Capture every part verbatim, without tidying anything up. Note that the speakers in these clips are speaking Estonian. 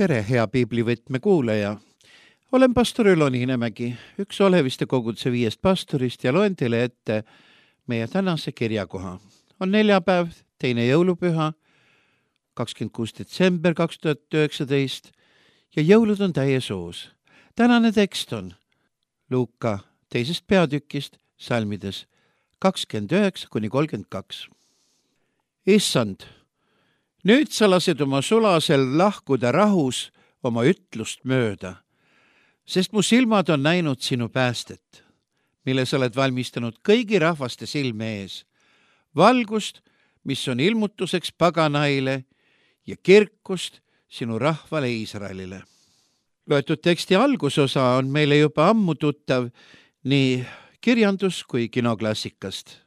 tere, hea piiblivõtme kuulaja! Olen pastor Ülo Niinemägi, üks Oleviste koguduse viiest pastorist ja loen teile ette meie tänase kirjakoha. On neljapäev, teine jõulupüha, kakskümmend kuus detsember kaks tuhat üheksateist ja jõulud on täies hoos. Tänane tekst on Luuka teisest peatükist, salmides kakskümmend üheksa kuni kolmkümmend kaks. Issand, nüüd sa lased oma sulasel lahkuda rahus oma ütlust mööda, sest mu silmad on näinud sinu päästet, mille sa oled valmistanud kõigi rahvaste silme ees, valgust, mis on ilmutuseks paganaile ja kirkust sinu rahvale Iisraelile. Loetud teksti algusosa on meile juba ammu tuttav nii kirjandus kui kinoklassikast.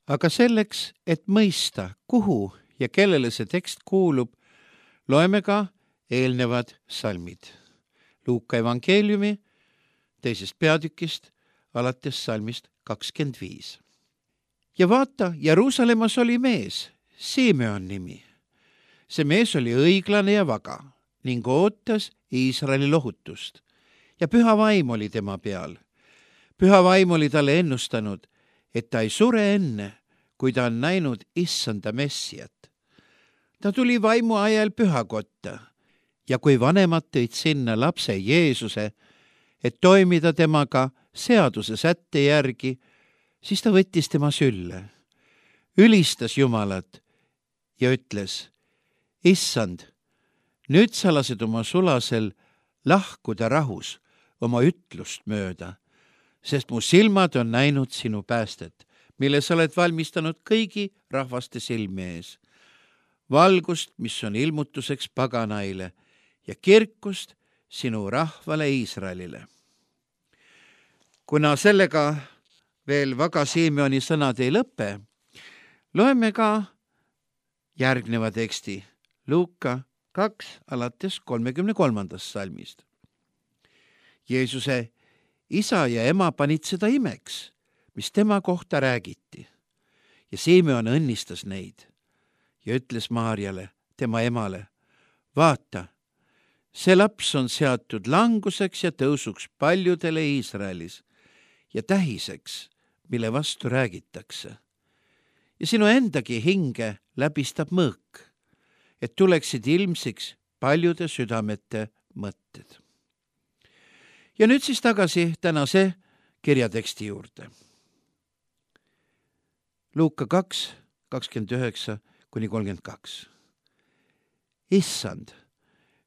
Aga selleks, et mõista, kuhu ja kellele see tekst kuulub, loeme ka eelnevad salmid. Luuka evangeeliumi teisest peatükist alates salmist kakskümmend viis. Ja vaata, Jeruusalemmas oli mees, Simeon nimi. See mees oli õiglane ja vaga ning ootas Iisraeli lohutust ja püha vaim oli tema peal. Püha vaim oli talle ennustanud, et ta ei sure enne, kui ta on näinud issanda messiat. Ta tuli vaimu ajal pühakotta ja kui vanemad tõid sinna lapse Jeesuse, et toimida temaga seaduse sätte järgi, siis ta võttis tema sülle, ülistas Jumalat ja ütles, Issand, nüüd sa lased oma sulasel lahkuda rahus oma ütlust mööda, sest mu silmad on näinud sinu päästet, mille sa oled valmistanud kõigi rahvaste silme ees. Valgust, mis on ilmutuseks paganaile ja kirkust sinu rahvale Iisraelile. Kuna sellega veel vaga Simeoni sõnad ei lõpe, loeme ka järgneva teksti Luuka kaks alates kolmekümne kolmandast salmist. Jeesuse isa ja ema panid seda imeks, mis tema kohta räägiti. Ja Simeon õnnistas neid ja ütles Maarjale, tema emale, vaata, see laps on seatud languseks ja tõusuks paljudele Iisraelis ja tähiseks, mille vastu räägitakse. Ja sinu endagi hinge läbistab mõõk, et tuleksid ilmsiks paljude südamete mõtted. Ja nüüd siis tagasi tänase kirjateksti juurde. Luuka kaks, kakskümmend üheksa kuni kolmkümmend kaks. Issand,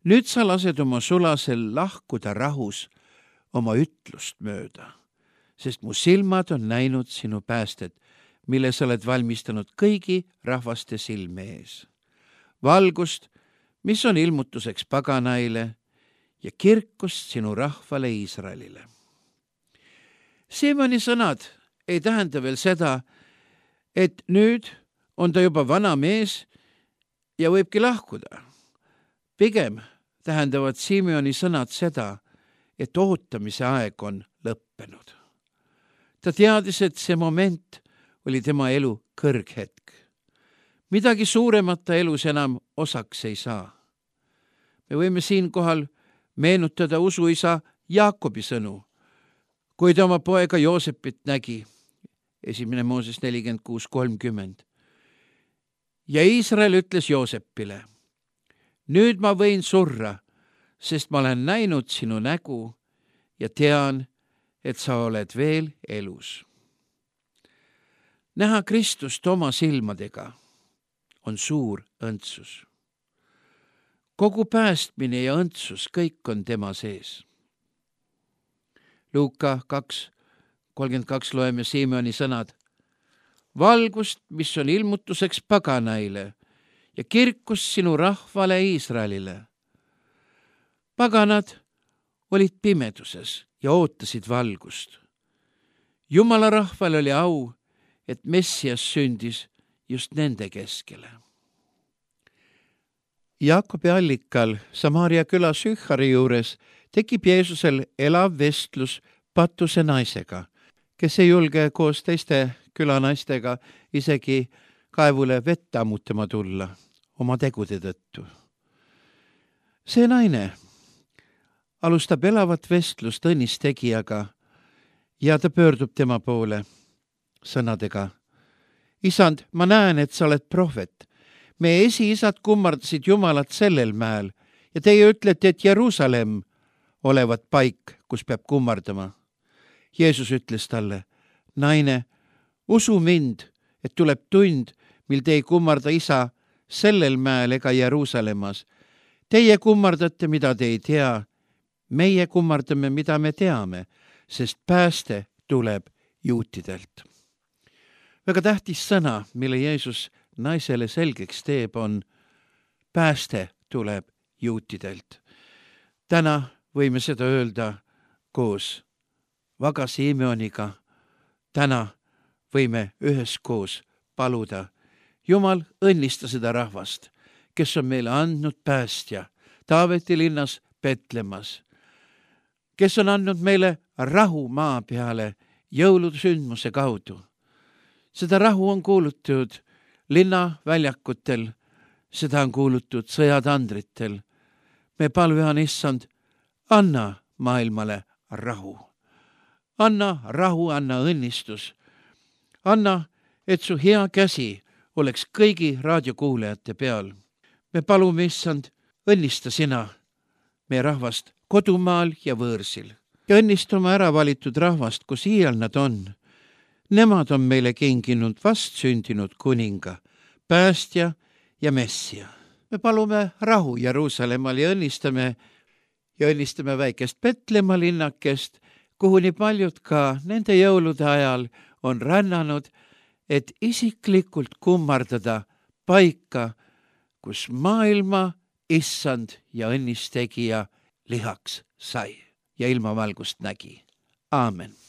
nüüd sa lased oma sulasel lahkuda rahus oma ütlust mööda, sest mu silmad on näinud sinu päästet, mille sa oled valmistanud kõigi rahvaste silme ees. Valgust, mis on ilmutuseks paganaile ja kirkust sinu rahvale Iisraelile. Simeoni sõnad ei tähenda veel seda, et nüüd on ta juba vana mees ja võibki lahkuda. Pigem tähendavad Simeoni sõnad seda, et ootamise aeg on lõppenud. Ta teadis, et see moment oli tema elu kõrghetk. Midagi suuremat ta elus enam osaks ei saa. Me võime siinkohal meenutada usuisa Jaakobi sõnu, kui ta oma poega Joosepit nägi, esimene Mooses nelikümmend kuus kolmkümmend. Ja Iisrael ütles Joosepile, nüüd ma võin surra, sest ma olen näinud sinu nägu ja tean, et sa oled veel elus. Näha Kristust oma silmadega on suur õndsus. Kogu päästmine ja õndsus, kõik on tema sees. Luuka kaks, kolmkümmend kaks loeme Simeoni sõnad. Valgust, mis on ilmutuseks paganaile ja kirkust sinu rahvale Iisraelile. Paganad olid pimeduses ja ootasid valgust. Jumala rahval oli au, et Messias sündis just nende keskele. Jaakobi allikal Samaaria küla Sühhari juures tekib Jeesusel elav vestlus patuse naisega, kes ei julge koos teiste külanaistega isegi kaevule vett ammutama tulla oma tegude tõttu. see naine alustab elavat vestlust õnnistegijaga ja ta pöördub tema poole sõnadega. Isand, ma näen, et sa oled prohvet. Meie esiisad kummardasid Jumalat sellel mäel ja teie ütlete, et Jeruusalemm olevat paik, kus peab kummardama. Jeesus ütles talle, naine, usu mind, et tuleb tund, mil te ei kummarda isa sellel mäel ega Jeruusalemmas. Teie kummardate, mida te ei tea. Meie kummardame, mida me teame, sest pääste tuleb juutidelt. Väga tähtis sõna, mille Jeesus naisele selgeks teeb, on pääste tuleb juutidelt. Täna võime seda öelda koos Vaga Simeoniga. Täna võime üheskoos paluda. Jumal, õnnista seda rahvast, kes on meile andnud päästja Taaveti linnas Petlemas, kes on andnud meile rahu maa peale jõulude sündmuse kaudu. Seda rahu on kuulutud linna väljakutel, seda on kuulutud sõjatandritel. Me palvean, issand, anna maailmale rahu. Anna rahu, anna õnnistus. Anna, et su hea käsi oleks kõigi raadiokuulajate peal. Me palume, issand, õnnista sina meie rahvast kodumaal ja võõrsil. Ja õnnista oma ära valitud rahvast, kus iial nad on. Nemad on meile kinginud vastsündinud kuninga, päästja ja messia. Me palume rahu Jeruusalemmal ja õnnistame, ja õnnistame väikest Petlemma linnakest, kuhu nii paljud ka nende jõulude ajal on rännanud, et isiklikult kummardada paika, kus maailma issand ja õnnistegija lihaks sai ja ilmavalgust nägi. Aamen.